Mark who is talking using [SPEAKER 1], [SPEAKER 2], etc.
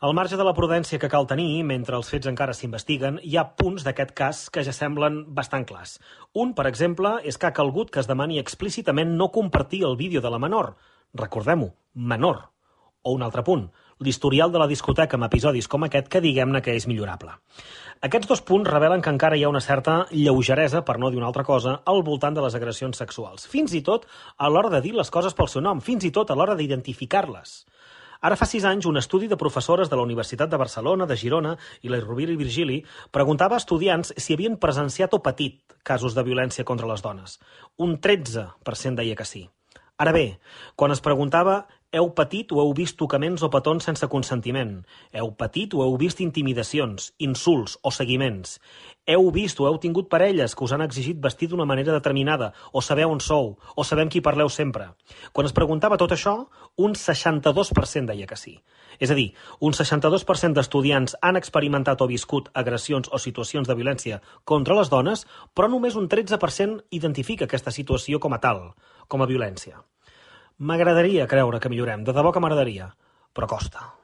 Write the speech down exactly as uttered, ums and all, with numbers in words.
[SPEAKER 1] Al marge de la prudència que cal tenir mentre els fets encara s'investiguen, hi ha punts d'aquest cas que ja semblen bastant clars. Un, per exemple, és que ha calgut que es demani explícitament no compartir el vídeo de la menor. Recordem-ho, menor. O un altre punt, l'historial de la discoteca amb episodis com aquest que diguem-ne que és millorable. Aquests dos punts revelen que encara hi ha una certa lleugeresa, per no dir una altra cosa, al voltant de les agressions sexuals. Fins i tot a l'hora de dir les coses pel seu nom, fins i tot a l'hora d'identificar-les. Ara fa sis anys, un estudi de professores de la Universitat de Barcelona, de Girona i la Rovira i Virgili preguntava a estudiants si havien presenciat o patit casos de violència contra les dones. Un tretze per cent deia que sí. Ara bé, quan es preguntava heu patit o heu vist tocaments o petons sense consentiment, heu patit o heu vist intimidacions, insults o seguiments, heu vist o heu tingut parelles que us han exigit vestir d'una manera determinada, o sabeu on sou, o sabem qui parleu sempre. Quan es preguntava tot això, un seixanta-dos per cent deia que sí. És a dir, un seixanta-dos per cent d'estudiants han experimentat o viscut agressions o situacions de violència contra les dones, però només un tretze per cent identifica aquesta situació com a tal, com a violència. M'agradaria creure que millorem, de debò que m'agradaria, però costa.